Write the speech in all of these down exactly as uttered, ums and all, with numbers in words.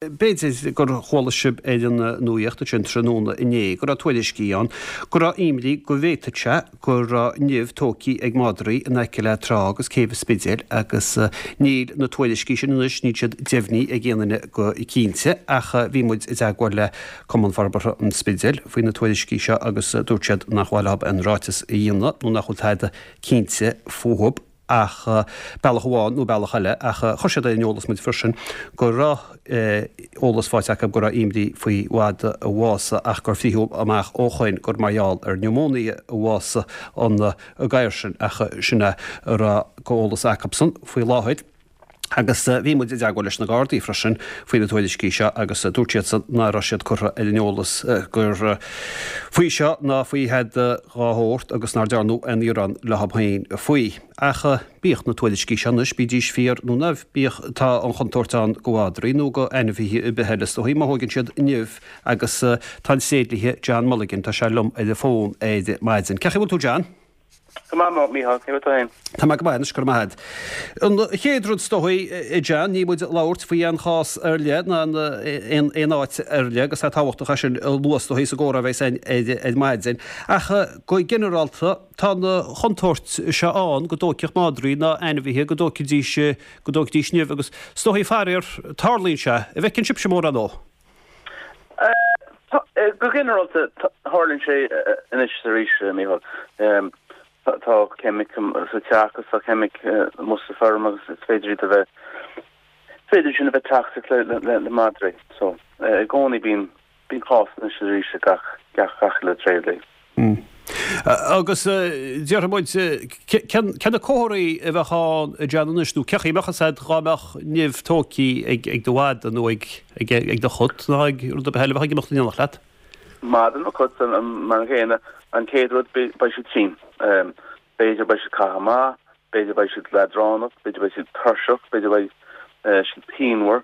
B'fhéidir gur chuala sibh ar an nuaíocht sin tráthnóna inné go raibh tuairiscí ann go raibh imní go bhféadfadh sé go raibh nimh tógtha ag madraí in aice le trá agus céibh an Spidéil agus níl na tuairiscí sin anois níl siad deimhnithe ag aon duine go cinnte ach bhí muid i dteagmháil le Cumann Forbartha an Spidéil faoi na tuairiscí seo agus dúirt siad nach bhfuil aon ráiteas a dhéanamh nó nach bhfuil tada cinnte fúthu ach bealach amháin nó bealach eile ach chuir siad ar an eolas muid freisin go raibh eolas faighte acu go raibh imní faoi mhadra a bhásaigh ach gur frítheadh amach ó shoin gur mar gheall ar pneumonia a bhásaigh an gadhar sin ach sin é a raibh go eolas acusan faoi láthair. Agus bhí muid i dteagmháil leis na Gardaí freisin faoi na tuairiscí seo agus dúirt siadsan nach raibh siad curtha ar an eolas gur faoi seo ná faoi thada dhá shórt agus nár dearnadh aon ghearán leo féin faoi. Ach bíodh na tuairiscí seo anois, bídís fíor nó ná bíodh, tá an chontúirt ann go mhadraí nó go ainmhithe ar bith eile is dóichí má thóigeann siad nimh agus tá an tréidlia John Mulligan, tá sé liom ar an bhfón ar maidin. Cén chaoi a bhfuil tú John? Go maith, Mícheál, cén chaoi a bhfuil tú féin? Tá mé go maith anois, go raibh maith agat. An chéad rud is dóichí, a John, níl muid ag labhairt faoi aon chás ar leith ná aon aon áit ar leith agus tá tábhachtach é sin a lua is dóichí sa gcomhrá a bheas againn ar ar maidin. Ach go ginearálta, tá an chontúirt seo ann go dtóigfeadh madraí ná ainmhithe go dtóigfidís go dtóigfidís nimh agus is dóichí faraor, tarlaíonn sé. An bhfeiceann sibhse mórán dó? Go ginearálta, tarlaíonn sé anois is arís, Mícheál. Tá ceimic sa teach agus tá ceimic amuigh sa feirm agus is féidir iad a bheith, is féidir sin a bheith toxic le le madraí. So, i gcónaí bíonn bíonn cás anois is arís ag gach gach gach uile tréidlia. Agus déarfaidh muid, cé na comharthaí a bheadh ann a John anois nó cén chaoi a mbeadh fhios agat dhá mbeadh nimh tógtha ag ag do mhadra nó ag ag do chat nó ag rud ar bith eile a bheadh ag imeacht in éineacht leat? Madra nó cat mar an gcéanna, an chéad rud beidh siad tinn. B'fhéidir beidh siad caitheamh amach, b'fhéidir beidh siad leadránach, b'fhéidir beidh siad tuirseach, b'fhéidir beidh siad pianmhar.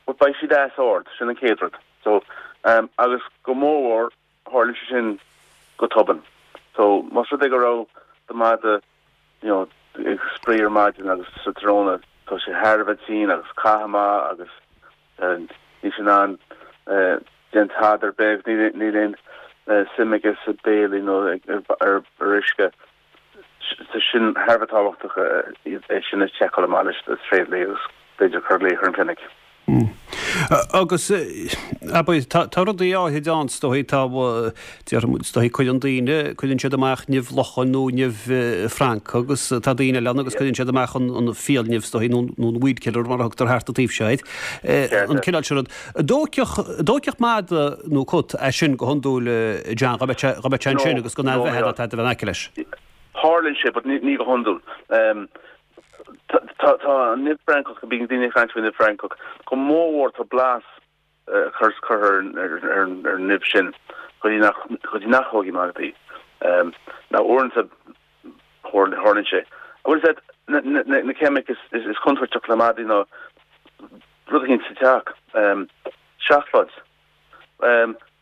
But beidh siad as ord, sin an chéad rud. So, agus go mórmhór tharlaíonn sé sin go tobann. So, más rud é go raibh do mhadra you know, ag spraoi ar maidin agus sa tráthnóna tá sé thar a bheith tinn agus caitheamh amach agus níl sé in ann déanamh tada ar bith agus níl aon suim aige sa béilí nó ar uisce. Tá sin thar a bheith tábhachtach é sin a sheiceáil amach leis an tréidlia agus b'fhéidir cur glaoch ar an clinic. Agus abair, tá rudaí áithrid ann, is dóigh, tá, déarfaidh muid, is dóigh, cuireann daoine, cuireann siad amach nimh locháin nó nimh francach agus tá daoine eile ann agus cuireann siad amach an fiailnimh, is dóigh, nó an weed killer mar a thugtar thart an taobh seo air, an cineál sin rud. An dtógfadh madra nó cat é sin go hiondúil, John, dá mbeadh sé, dá mbeadh sé ansin agus gan aon bheatha ná tada a bheith in aice leis? Tarlaíonn sé, but ní go hiondúil. Tá an nimh francach, bíonn daoine ag caint faoin nimh francach, go mórmhór tá blas curtha ar an nimh sin go dtí nach go dtí nach dtógfaidh madraí. Now uaireanta tarlaíonn sé. Bhfuil fhios agat na ceimic is contúirteach le madraí ná rud eicínt sa teach, seacláid,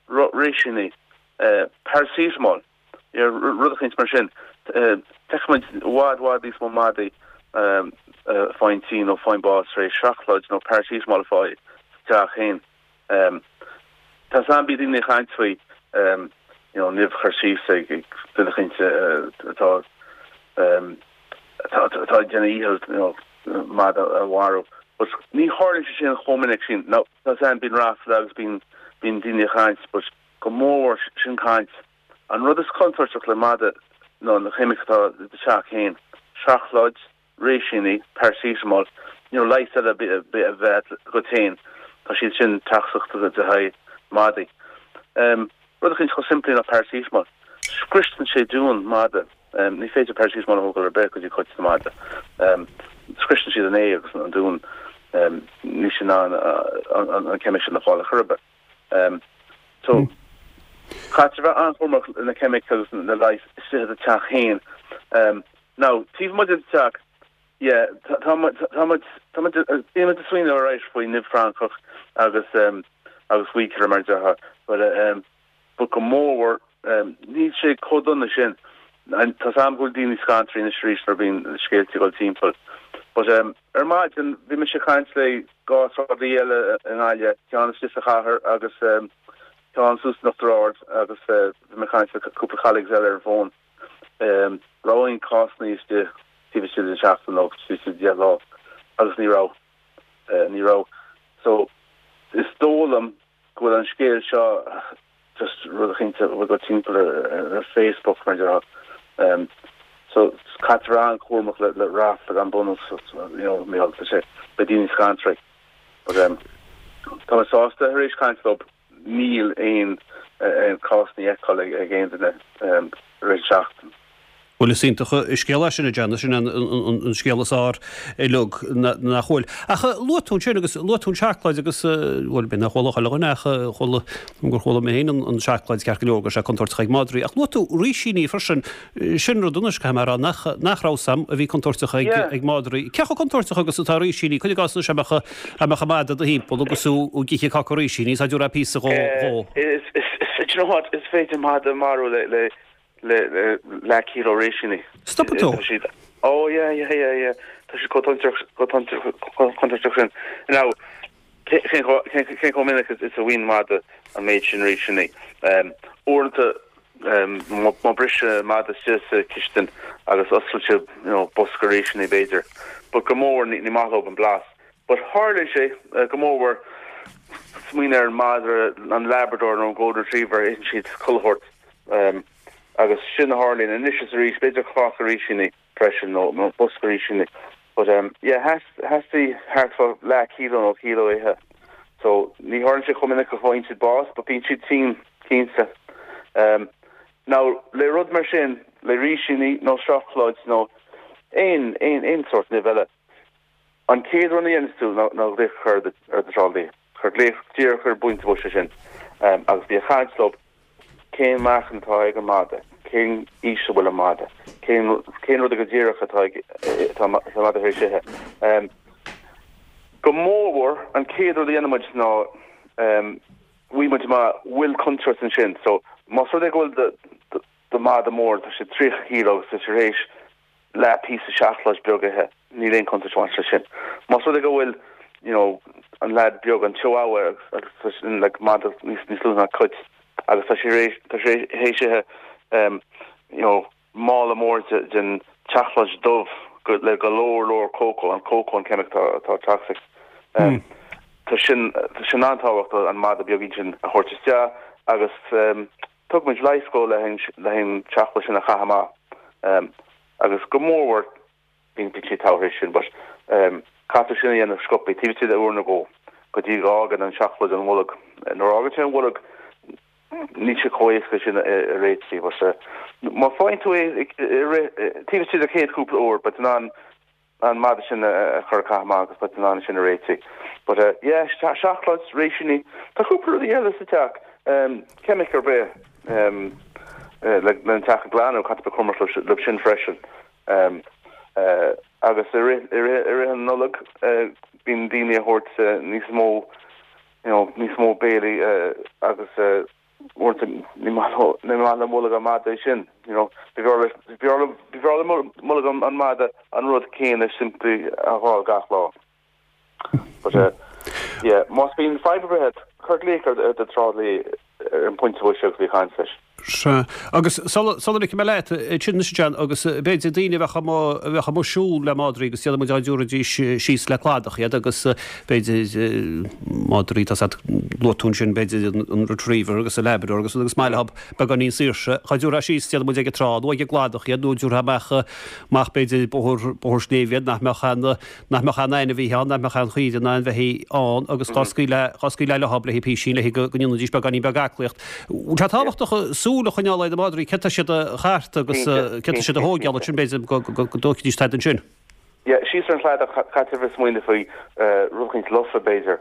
réisíní, paracetamol. Rud eicínt mar sin. Feicfidh muid i bhfad, bhfad níos mó madaí faigheann tinn nó faigheann bás tar éis seacláid nó paracetamol a fháil sa teach féin. Tá 's a'm bíonn daoine ag caint faoi you know nimh a chur síos ag duine eicínt atá atá ag déanamh a dhícheall you know madra a mharú. But ní tharlaíonn sé sin chomh minic sin. Now tá 's a'm bíonn ráfla agus bíonn bíonn daoine ag caint but go mórmhór sin caint. An rud is contúirteach le madra ná na ceimic atá i do teach féin, seacláid, réisíní, paracetamol, you know leigheas eile a bheith agat féin, tá siad sin toxic le haghaidh madaí. Rud eicínt chomh simplí ná paracetamol, scriosann sé d'uan madra, ní féidir paracetamol a thógáil ar bith go dtí cut na madra, scriosann siad an ae agus an d'uan, níl siad in ann an ceimic sin a fháil ar chor ar bith. So, caithfidh bheith an-chúramach na ceimic agus na leighis istigh i do teach féin. Now, taobh amuigh de do teach, yeah, tá muid, tá muid, tá muid, bíonn muid ag smaoineamh arís faoi nimh francach agus agus weed killer mar a déarfá, but but go mórmhór, níl sé chomh dona sin. Tá 's a'm go bhfuil daoine scanraithe anois arís nuair a bhíonn scéalta ag dul timpeall. But ar maidin, bhí mise ag caint le dhá tráidlí eile i nGaillimh, ceann istigh sa chathair agus ceann suas in Uachtar Ard agus bhí mé ag caint le cúpla colleagues eile ar an bhfón. Raibh aon cásanna istigh taobh istigh den seachtain nó taobh istigh de deich lá agus ní raibh. Ní raibh. So is dóigh liom go bhfuil an scéal seo just rud eicínt a bhfuil go timpeall ar Facebook mar déarfá. So caithfear an-chúramach le le ráfla gan bunús you know Mícheál tá sé beidh daoine scanraithe. But um, tá mé sásta tar éis caint leo níl aon aon cás le feiceáil ag ag aon duine um, tar éis seachtain. Bhuel is iontach an scéal é sin a John, sin an, an, an scéal is fearr uilig nach bhfuil. Ach luaigh tú sin agus luaigh tú an seacláid agus bhuel b'fhéidir nach bhfuil chuile dhuine ach chuala gur chuala mé féin an, an seacláid ceart go leor go sé contúirteach ag madraí. Ach luaigh tú rísíní freisin sin rud anois caithfidh mé a rá nach, nach raibh a fhios a'm a bhí contúirteach ag, yeah. ag madraí. Cé chomh contúirteach agus atá rísíní cuir i gcás anois mbeadh mbeadh madra i do thimpeall agus tú ag ithe cáca rísíní is dtabharfá píosa dhó dhó. Is, is, is, do you know what, is féidir madra a mharú le, le le leath kilo rísíní. Stop tú. Oh yeah yeah yeah yeah Tá sé contúirteach sin. Now cén chomh minic is a bhfaigheann madra an méid sin rísíní. Uaireanta má briseann madra isteach sa chistin agus osclaíonn sé you know, bosca rísíní b'fhéidir. But go mór ní ní maith leo an blas. But tharla sé go mór smaoinigh ar an madra an Labrador nó an Golden Retriever itheann siad chuile shórt. Um, agus sin a tharlaíonn anois is arís b'fhéidir cáca rísíní freisin nó nó bosca rísíní. But um, yeah, has theastaigh thart fá leath kilo nó kilo ithe. So ní tharlaíonn sé chomh minic go bhfaigheann siad bás, but bíonn siad tinn cinnte. Um, now le rud mar sin le rísíní nó seacláid nó aon aon aon sórt nimh eile. An chéad rud a dhéanann tú ná ná glaoch ar ar do thráidlí. Cuir glaoch díreach ar an bpointe boise sin um, agus bí ag caint leo cén meáchan atá ag an madra, cén aois a bhfuil an madra, cén cén rud go díreach atá tá madra tar éis ithe. Um, go mór an chéad rud a dhéanann muid ná um, bhí muid má bhfuil contúirt ansin, so más rud é go bhfuil do madra mór tá sé tríocha kilo agus tar éis leath píosa seacláid beag ithe, níl aon contúirt leis sin. Más rud é go bhfuil you know, an lad beag an chihuahua agus sin like madra níos níos lú ná cat agus tá sé tá sé théis um, you know, mála mór den tseacláid dubh le go leor leor cócó an cócó an ceimic atá toxic. Um, mm. Tá sin tá sin an-tábhachtach an madra beag sin a thabhairt isteach agus um, thug muid leigheas dó le le an tseacláid sin a chaitheamh um, agus go mór bíonn sé togha sin but um, caithfidh sin a dhéanamh sciobtha taobh istigh de uair nó dhó go dtí go bhfágann an tseacláid an bholg nuair a fhágann sé an bholg níl sé chomh héasca sin a réiteach was má faigheann tú taobh istigh de chéad cúpla uair, but an an madra sin a chur amach agus but an sin a réiteach. But uh, yeah, seacláid rísíní Tá cúpla rudaí eile sa teach um, ceimic ar bith um, uh, le an teach a ghlanadh caithfidh cúramach le sin freisin. Um, uh, agus i rith an Nollaig uh, bíonn daoine ag tabhairt uh, níos mó you know, níos mó béilí uh, agus uh, ní maith le bolg an mhadra sin you know b'fhearr le bolg an mhadra an rud céanna simplí a fháil gach lá. But uh, yeah, más bíonn fadhb ar bith cuir glaoch ar do thráidlí ar an bpointe boise agus bí ag caint leis. Se agus sula mé leat sin John agus b'fhéidir daoine bheith bheith amuigh ag siúl le madraí agus iad a dtabharfaidís síos le cladach iad agus b'fhéidir madraí tá luaigh tú sin b'fhéidir an retriever agus a labrador agus agus maith leo beagáinín saoirse cha dtabharfá síos iad muid ag trá nó ag cladach iad nó dtabharfá amach amach b'fhéidir bóthar bóthar sléibhe nach mbeadh an nach mbeadh an ainmhí ann nach mbeadh an chaoire ná an bheithígh ann agus dhá scaoileadh dhá scaoileadh leo le písín le go ndéanfaidís beagáinín beag aclaíocht. Tá tábhachtach súil a choinneáil ar na madraí cé tá siad a chartadh agus cé tá siad a thógáil sin b'fhéidir go dtógfaidís tada ansin. Yeah, síos ar an chladach caithfidh bheith smaoineamh faoi rud éicint lofa b'fhéidir.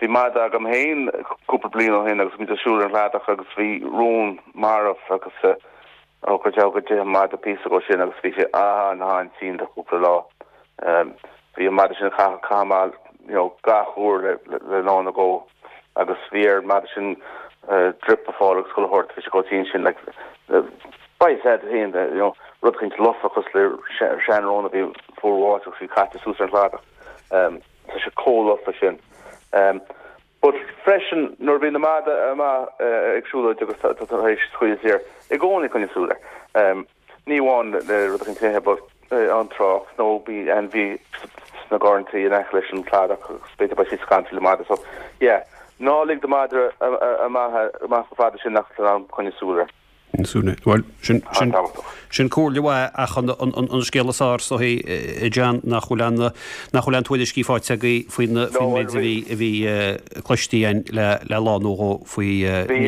Bhí madra agam féin cúpla bliain ó shin agus muid ag siúl ar an chladach agus bhí rón marbh agus ó go deo go dtí an madra píosa go sin agus bhí sé an-an-tinn do cúpla lá. Bhí an madra sin caitheamh you know, gach uair le le lá nó dhó agus bhí ar an madra sin drip a fháil agus chuile shórt bhí sé chomh tinn sin like by said féin you know rud éicint lofa cosúil le seanrón a bhí fuar bháite agus bhí caite suas ar an chladach. Um, Tá sé chomh lofa sin. Um, but freisin nuair bhíonn an madra amach ag siúlóid agus tá tar éis scaoileadh saor i gcónaí coinnigh súil air. Um, ní amháin le rud éicint ithe but an trácht nó bhí ainmhí sna garrantaí in aice leis an cladach agus b'fhéidir beidh siad scanraithe le madra so yeah ná lig do mhadra amach amach chomh fada sin nach bhfuil an coinnigh súil air. Súne. Well sin sin sin comhairle mhaith ach an an scéal is fearr so a John nach bhfuil an nach bhfuil an tuairiscí faighte agaibh faoin faoin méid a bhí a bhí cloiste againn le le lá nó dhó faoi Bhí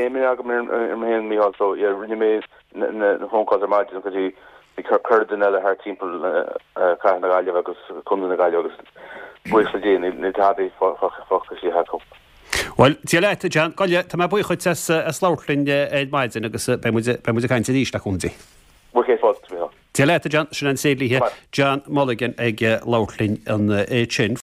imní agam ar mé féin Mícheál so yeah rinne mé na phone calls ar maidin go dtí bhí corrdhuine eile thart timpeall Cathair na Gaillimhe agus Contae na Gaillimhe agus buíochas le Dia níl tada fágtha acu. Well Dia leat John Goille tá mé buíoch as as labhairt linn ar maidin agus beidh muid beidh muid ag caint arís le cúnamh Dé. Bhuel fáilte Mícheál. Dia leat John sin an tSéadliath John Mulligan ag labhairt linn ansin.